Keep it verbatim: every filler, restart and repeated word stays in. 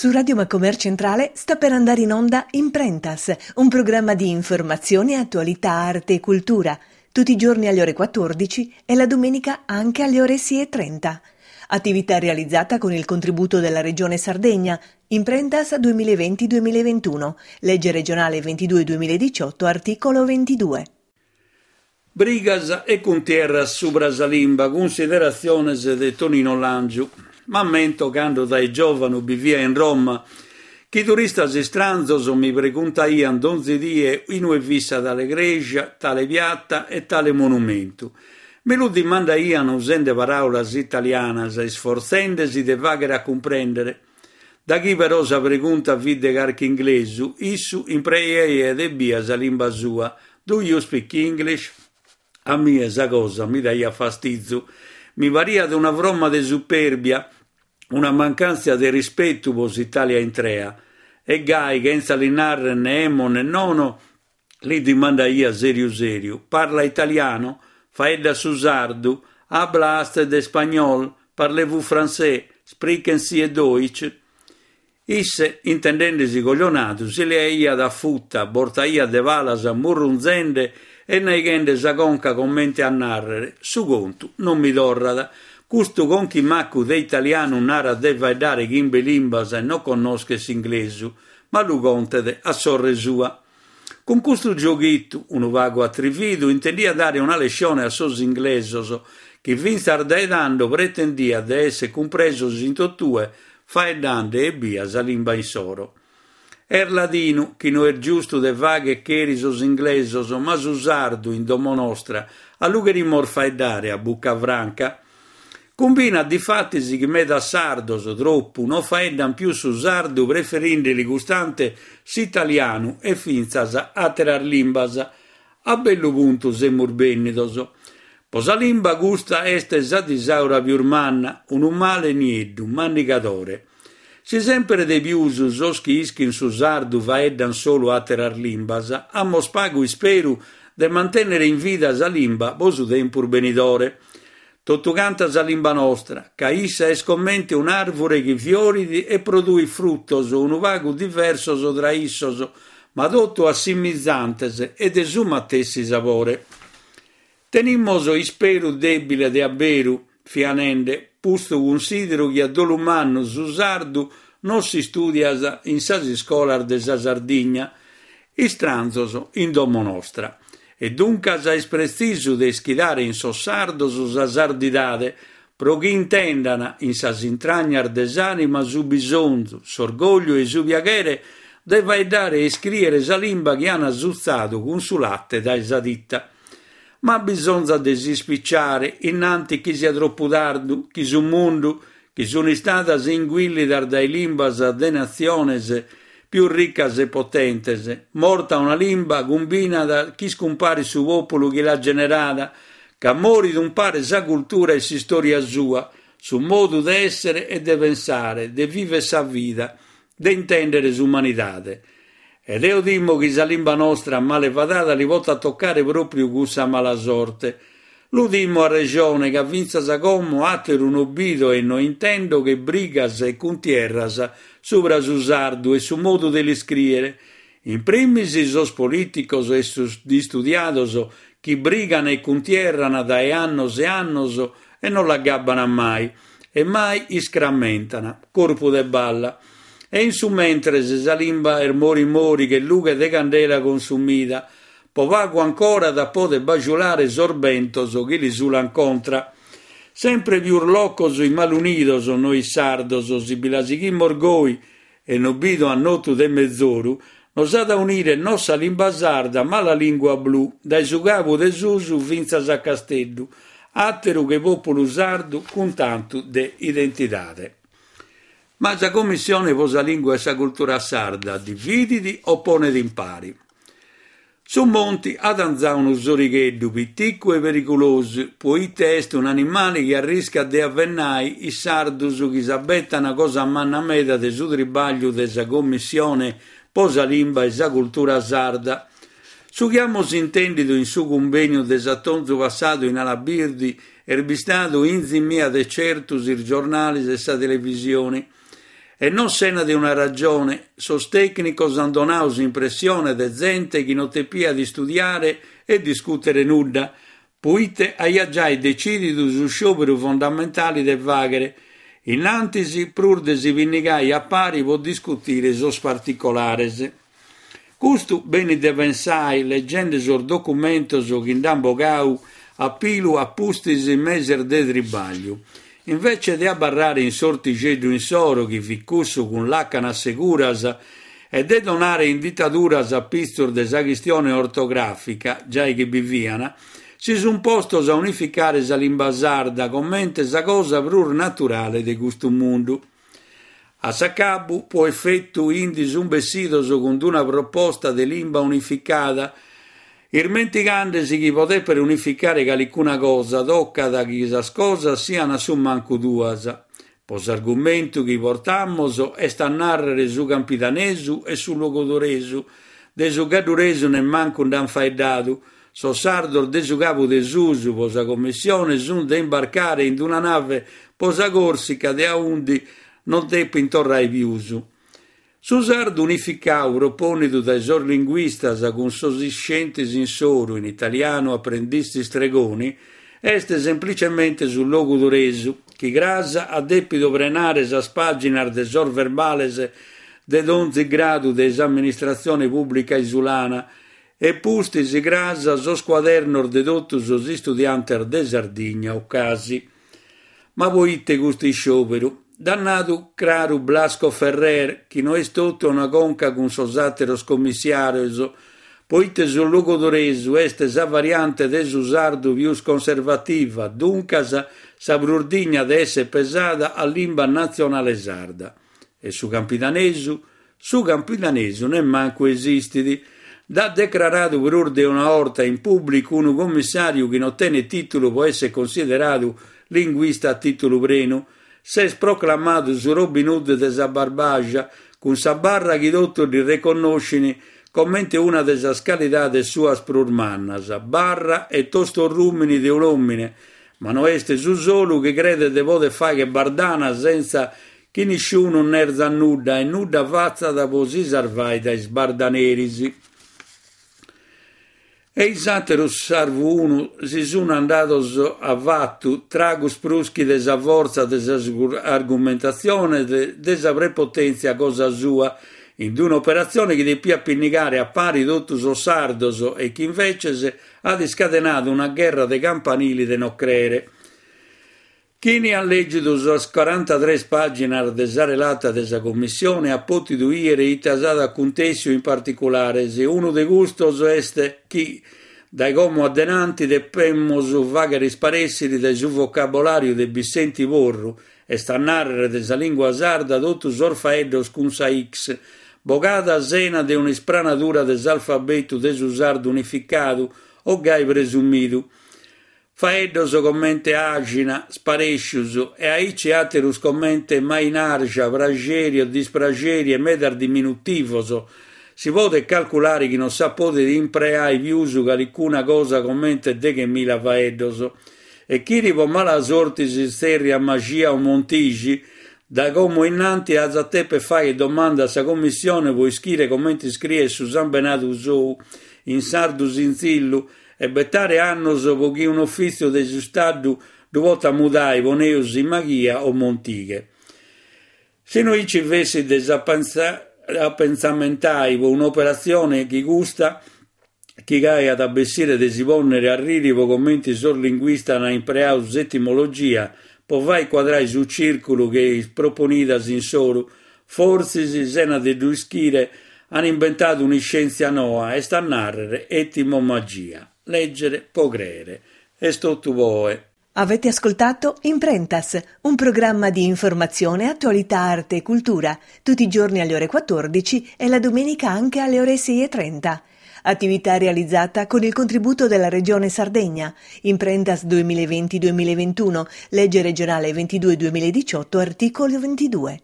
Su Radio Macomer Centrale sta per andare in onda Imprentas, un programma di informazione, attualità, arte e cultura, tutti i giorni alle ore quattordici e la domenica anche alle ore sei e trenta. Attività realizzata con il contributo della Regione Sardegna, Imprentas duemilaventi duemilaventuno, legge regionale ventidue duemiladiciotto, articolo ventidue. Brigas e cuntierras subra sa limba, cunsideratziones de Tonino Langiu. M'ammento cando dae giòvanu bivia in Roma, chi turistas istranzos mi preguntaiant donzi die inue fit sa tale cresia, tale piata e tale monumentu. Mi lu dimandaiant usende paràulas italianas, isfortzende-si de fàghere a cumprèndere. Da chi però sa pregunta fit de carchi inglesu, issu impreaiat ebbia sa limba sua. Do you speak English? A mie sa cosa mi daiat fastizu. Mi pariat una fromma de superbia, una mancàntzia de rispetu pro s'Itàlia intrea. E gai, chentza li narrer ne emo ne nono, li dimandaia sèriu sèriu. Parla italiano? Faedda su sardu? Habla usted español? Parlez-vous français? Sprechen Sie Deutsch? Isse, intendende-si coglionadu, si leaiat a futa, bortaiat de palas murrunzende e naighende sa conca comente a nàrrere su contu non mi torrat. Custu conchimaccu de italianu narat de faeddare chimbe limbas e non connoschet s'inglesu, ma lu contet a sorre sua. Cun custu gioghitu, unu pagu atrividu, intendia dare una lescione a sos inglesos, chi fintzas dae tando pretendiat de èssere cumpresos in totue, faeddande ebbia sa limba insoro. Est ladinu chi no est giustu de fagher cheri sos inglesos, ma su sardu, in domo nostra, a lu cherimos faeddare a bucca franca. Cumbinat difatis chi medas sardos, tropu, non faeddan pius su sardu preferindeli custante s'italianu e fintzas àteras limbas. A bellu puntu semus bènnidos. Pro sa limba custa est sa disaura pius manna, unu male nieddu, mannigadore. Si semper de pius sos chi ischin su sardu faeddan solu àteras limbas, amos pagu isperu de mantènnere in vida sa limba pro su tempus benidore. Totu canta sa limba nostra, ca issa est comente un'àrvure chi fiorit e produit frutos unu pagu diversos tra issos, ma totu assimizantes e de su matessi sapore. Tenimos isperu dèbile de aberu, fia nende, postu cunsideru chi a dolu mannu su sardu non s'istudiat in sas iscolas de sa Sardigna, istranzos in domo nostra. E duncas est pretzisu de ischidare in sos sardos sa sardidade, pro chi intendan in sas intragnas de s'anima su bisonzu, s'orgogliu e su piaghere de faeddare e iscriere sa limba chi an sutzadu cun su latte dae sa tita. Ma bisonzat de s'ispicciare, innanti chi sia troppu tardu, chi su mundu, chi sun istadas inguillidas dae limbas de natziones pius riccas e potentes, morta una limba cumbinat chi iscumparit su pòpulu chi l'at generada, ca morit umpare sa cultura e s'istoria sua, su modu de èssere e de pensare, de vivere sa vida, de intèndere s'umanidade. Ed eo timo chi sa limba nostra male fadada li potat toccare pròpriu cussa mala sorte. Lu timo a rejone ca fintzas a como àteru no bido e no intendo che brigas e cuntierras subra su sardu e su modu de l'iscrìere. In primis sos polìticos e sos istudiados chi brigan e cuntierran dae annos e annos e non l'agabban mai, e mai iscrammentan, corpu de balla. E in su mentres sa limba est mori mori che lughe de candela consumida, po pagu ancora da poder bajulare sos bentos chi li sulan contra. Sempre pius locos immalunidos nois sardos, si bi la sighimos goi e no bido annotu de mezoru, nos at a unire no sa limba sarda ma la lingua blu, dae su cabu de susu fintzas a Casteddu, àteru che pòpulu sardu cun tantu de identidade. Ma sa Commissione pro sa Lingua e sa Cultura Sarda dividit o ponet in pari? Su monti at anzau unu sorigheddu piticu e periculosu, poite est un'animale chi arriscat de avvennai is sardus chi s'abettan cosa manna meda de su tribagliu de sa Commissione po sa Limba e sa Cultura Sarda. Su chi amus intèndidu in su cumbèniu de s'atonzu passadu in Alabirdi est bistadu inzimia de certus is giornales e sa televisione. E non sena de una ragione, sos tècnicos ant donadu s'impressione de zente chi non depiat istudiare e discùtere nudda, poite aiat giai detzìdidu su sciòperu fondamentale de fàghere, in antis prus de si pinnigare a pare pro discutire sos particulares. Custu benit de pensare leggende sos documentos chi nd'ant bogadu a pilu a pustis meses de tribagliu. Invece de abarrare in s'ortixeddu insoro, chi fit cussu cun làcanas seguras, e de donare inditaduras a pitzos de sa chistione ortogràfica, giai chi bi fiant, si sunt postos a unificare sa limba sarda comente sa cosa prus naturale de custu mundu. A s'acabu, pro efetu, indi sunt bessidos cun una proposta de limba unificada, ismentigandesi chi pro dèpere unificare calicuna cosa tocat chi sas cosas siant a su mancu duas. Pro s'argumentu chi portamos est a nàrrere su campidanesu e su logudoresu, de su gadduresu nemmancu nd'ant faeddadu. Sos sardos de su Cabu de Susu pro sa commissione sunt de imbarcare in una nave pro sa Corsica de aundi non depint torrare pius. Su sardu unificadu propònnidu dae sos linguistas cun sos iscientes insoro in italianu apprendisti stregoni est semplicemente su logudoresu, chi cras at dèpidu prenare sas pàginas de sos verbales de donzi gradu de s'amministratzione pùblica isulana e pustis cras sos cuadernos de totu sos istudiantes de Sardigna o casi. Ma poite custu isciòperu? Dd'at nadu craru Blasco Ferrer, chi no est totu una conca cun sos àteros commissàrios, poite su logudoresu est sa variante de su sardu pius conservativa, duncas sa prus digna de essere pesada a limba natzionale sarda. E su campidanesu? Su campidanesu nemmancu esistit. Dd'at declaradu prus de una orta in pùblicu unu commissàriu chi non tenet tìtulu pro essere consideradu linguista a tìtulu prenu. S'est proclamadu su Robin Hood de sa Barbagia, cun sa barra chi totu ddi reconnoschint comente una de sas calidades suas prus mannas, barra e tostorrùmini de un'òmine, ma no est su solu chi credet de poder fàghere bardana senza chi nisciunu nerzat nudda e nudda fatzat pro si sarvare dae is bardaneris. E is àteros sarvu unu si sunt andados a fatu tragos prus chi de sa fortza de sas argumentatziones de, de sa prepotèntzia cosa sua, in un'operatzione chi depiat pinnigare a pari totu sos sardos e chi inveces at iscadenadu una gherra de campanili de no crere. Chini at lègidu sas corantatrès pàginas de sa relata de sa Commissione at pòtidu bìdere ite s'at acuntèssiu in particulares. Unu de custos est chi dae como a denanti depemus fàghere isparèssere dae su vocabolàriu de Bissenti Porru, est a nàrrere de sa lingua sarda, totu sos faeddos cun sa X, bogada sena de un'ispranadura de s'alfabetu de su sardu unificadu o gai presumidu. Faeddos comente àxina, sparèscius e aici àteros comente mainarja, praxeri o dispraxeri e medas diminutivos. Si podet calculare chi non si podet impreare pius calicuna cosa comente deghemila faeddos. E chini pro mala sorte si tzèrriat Maxia o Montixi, dae como innanti at a dèpere fàghere domanda a sa Commissione pro ischire comente iscriet su sambenadu sou in sardu sintzillu e betare annos pro chi un'ufìtziu de s'Istadu ddu potat mudare poneus in Maghia o Montighe. Si no aici fessit de s'apentzamentare pro un'operatzione che custa, chi gai at a bessire de si pònnere a riri pro comente sos linguistas ant impreadu s'etimologia pro fàghere cuadrare su cìrculu che is proponidas insoro, fortzis sena de ddu ischire, ant imbentadu un'iscièntzia noa, est a nàrrere etimomagia. Leggere pro crere. Est totu po oe. Avete ascoltato Imprentas, un programma di informazione, attualità, arte e cultura, tutti i giorni alle ore quattordici e la domenica anche alle ore sei e trenta. Attività realizzata con il contributo della Regione Sardegna. Imprentas duemilaventi duemilaventuno, legge regionale ventidue duemiladiciotto, articolo ventidue.